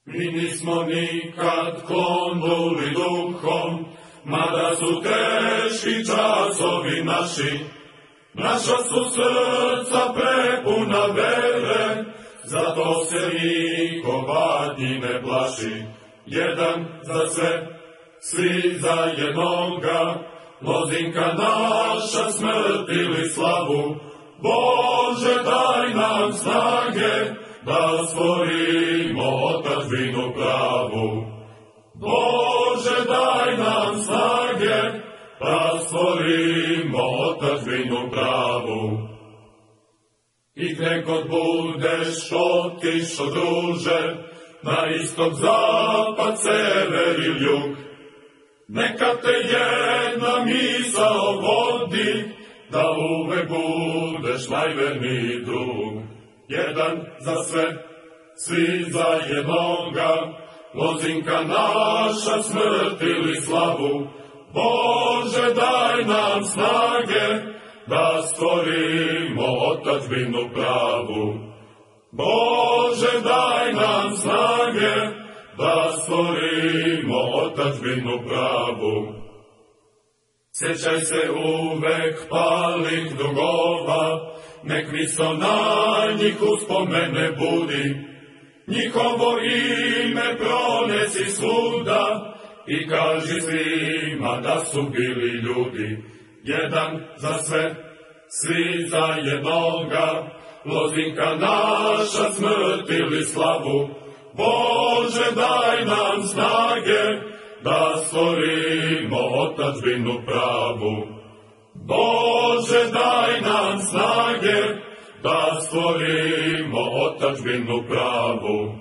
Mi nismo nikad klonuli duhom, mada su teški časovi naši. Naša su srca prepuna vere, zato se niko patnji ne plaši. Jedan za sve, svi za jednoga, Lozinka naša, smrt ili slavu. Bože, daj nam snage, da stvorimo otadžbinu pravu. Bože, daj nam snage, da stvorimo otadžbinu pravu. I gde god budeš otišo, druže, na istok, zapad, sever ili jug, neka te jedna misao vodi, da uvek budeš najverniji drug. Jedan za sve, svi za jednoga, Lozinka naša, smrt ili slavu. Bože, daj nam snage, da stvorimo otadžbinu pravu. Bože, daj nam snage, da stvorimo otadžbinu pravu. Sjećaj se uvek palih drugova, nek misao na njih uspomene budi. Njihovo ime pronesi svuda i kaži svima da su bili ljudi. Jedan za sve, svi za jednoga, Lozinka naša, smrt ili slavu. Bože, daj nam snage, da stvorimo otadžbinu pravu. Bože, daj nam snage, da stvorimo otadžbinu pravu.